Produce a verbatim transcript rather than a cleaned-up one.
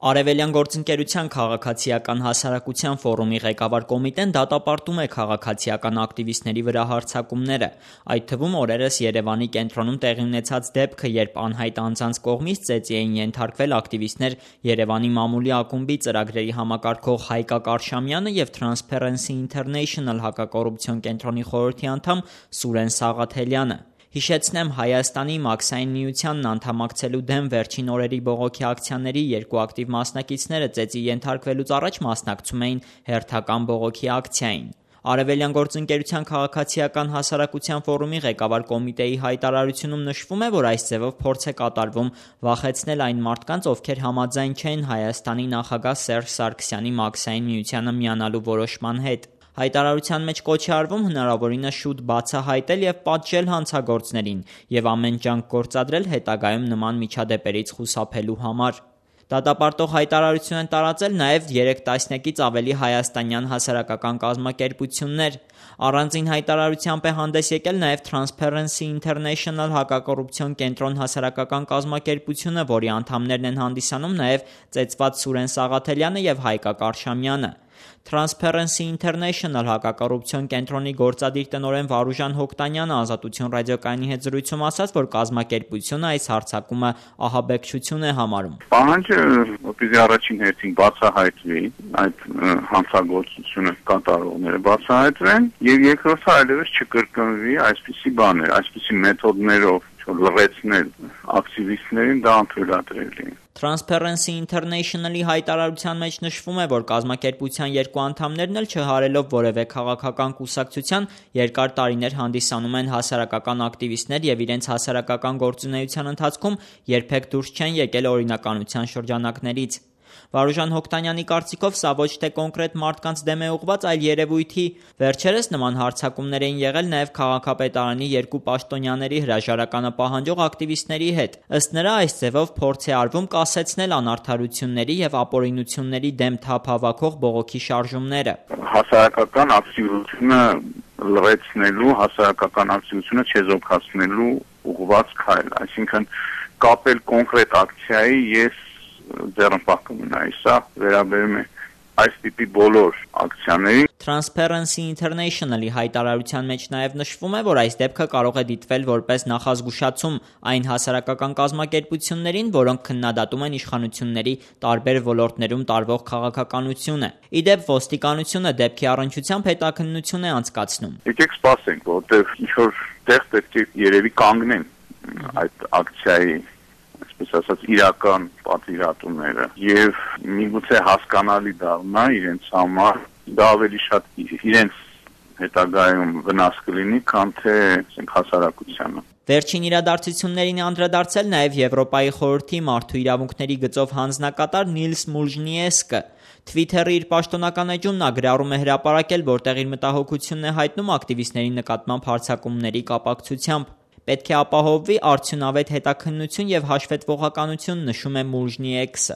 Արևելյան գործընկերության քաղաքացիական հասարակության ֆորումի ղեկավար կոմիտեն դատապարտում է քաղաքացիական ակտիվիստների վրա հարձակումները, այդ թվում օրերս Երևանի կենտրոնում տեղի ունեցած դեպքը, երբ անհայտ անձանց կողմից ծեծի էին ենթարկվել ակտիվիստներ Երևանի մամուլի ակումբի ծրագրերի համակարգող Հայկակ Արշամյանը և Transparency International հակակոռուպցիոն կենտրոնի խորհրդի անդամ Սուրեն Սաղաթելյանը։ Հիշեցնեմ, Հայաստանի Մաքսային միությանն անդամակցելու դեմ վերջին օրերի բողոքի ակցիաների երկու ակտիվ մասնակիցները ծեծի ենթարկվելուց առաջ մասնակցում էին հերթական բողոքի ակցիային։ Արևելյան գործընկերության քաղաքացիական հասարակության ֆորումի ղեկավար կոմիտեի հայտարարությունում նշվում է, որ այս ձևով փորձ է կատարվում վախեցնել այն մարդկանց, ովքեր համաձայն չեն Հայաստանի նախագահ Սերժ Սարգսյանի Մաքսային միությանը միանալու որոշման հետ։ Հայտարարության մեջ կոչ է արվում հնարավորինս շուտ բացահայտել և պատժել հանցագործներին և ամեն ջանք գործադրել հետագայում նման միջադեպերից խուսափելու համար։ Դատապարտող հայտարարություն են տարածել նաև երեք տասնյակից ավելի հայաստանյան հասարակական կազմակերպություններ։ Առանձին հայտարարությամբ է հանդես եկել նաև Transparency International հակակոռուպցիոն կենտրոն հասարակական կազմակերպությունը, որի անդամներն են հանդիսանում նաև ծեծված Սուրեն Սաղաթելյանը և Հայկակ Արշամյանը։ Transparency International հակակոռուպցիոն կենտրոնի գործադիր տնօրեն Վարուժան Հոկտանյանը Ազատություն ռադիոկայանի հետ զրույցում ասաց, որ կազմակերպությունը այս հարձակումը ահաբեկչություն է համարում։ Պահանջը որպեսզի առաջին հերթին բացահայտվի, այդ հանցագործությունը կատարողները բացահայտվեն, եւ երկրորդը այլևս չկրկնվի այսպիսի բաներ, այսպիսի մեթոդներով լրացնել ակտիվիստներին, դա անթույլատրելի է։ Transparency International-ի հայտարարության մեջ նշվում է, որ կազմակերպության երկու անդամներն էլ չհարելով որևէ քաղաքական կուսակցության երկար տարիներ հանդիսանում են հասարակական ակտիվիստներ և իրենց հասարակական գործունեության ընթացքում երբեք դուրս չեն եկել օրինականության շրջանակներից։ Վարուժան Հոկտանյանի կարծիքով սա ոչ թե կոնկրետ մարդկանց դեմ է ուղղված, այլ երևույթի։ Վերջերս նման հարձակումներ էին եղել նաև քաղաքապետարանի երկու պաշտոնյաների հրաժարականը պահանջող ակտիվիստների հետ։ Ըստ նրա, այս ձևով փորձ է արվում կասեցնել անարդարությունների և ապօրինությունների դեմ թափ հավաքող բողոքի շարժումները։ Հասարակական ակտիվությունը լրացնելու, հասարակական ակտիվությունը չեզոքացնելու ուղղված քայլ, այսինքն կապել կոնկրետ ակցիայի ես ձեռնպահ կմնայի, սա վերաբերում է այս տիպի բոլոր ակցիաներին։ Transparency International-ի հայտարարության մեջ նաև նշվում է, որ այս դեպքը կարող է դիտվել որպես նախազգուշացում այն հասարակական կազմակերպություններին, որոնք քննադատում են իշխանությունների տարբեր ոլորտներում տարվող քաղաքականությունը։ Ի դեպ, ոստիկանությունը դեպքի առնչությամբ հետաքննություն է անցկացնում։ Եկեք սպասենք, որտեղ ինչ-որ տեղ պետք է երևի կանգնեն այդ ակցիայի այսպես ասած իրական պատվիրատուները եւ միգուցե հասկանալի դառնա իրենց համար, դա ավելի շատ իրենց հետագայում վնաս կլինի, քան թե ասենք հասարակությանը։ Վերջին իրադարձություններին է անդրադարձել նաև Եվրոպայի խորհրդի մարդու իրավունքների գծով հանձնակատար Նիլս Մուլժնիեսկը։ Twitter-ի իր պաշտոնական էջում նա գրառում է հրապարակել, որտեղ իր մտահոգությունն է հայտնում ակտիվիստների նկատմամբ հարձակումների կապակցությամբ։ Պետք է ապահովվի արդյունավետ հետաքննություն և հաշվետվողականություն, նշում է Մուլժնիեսկը։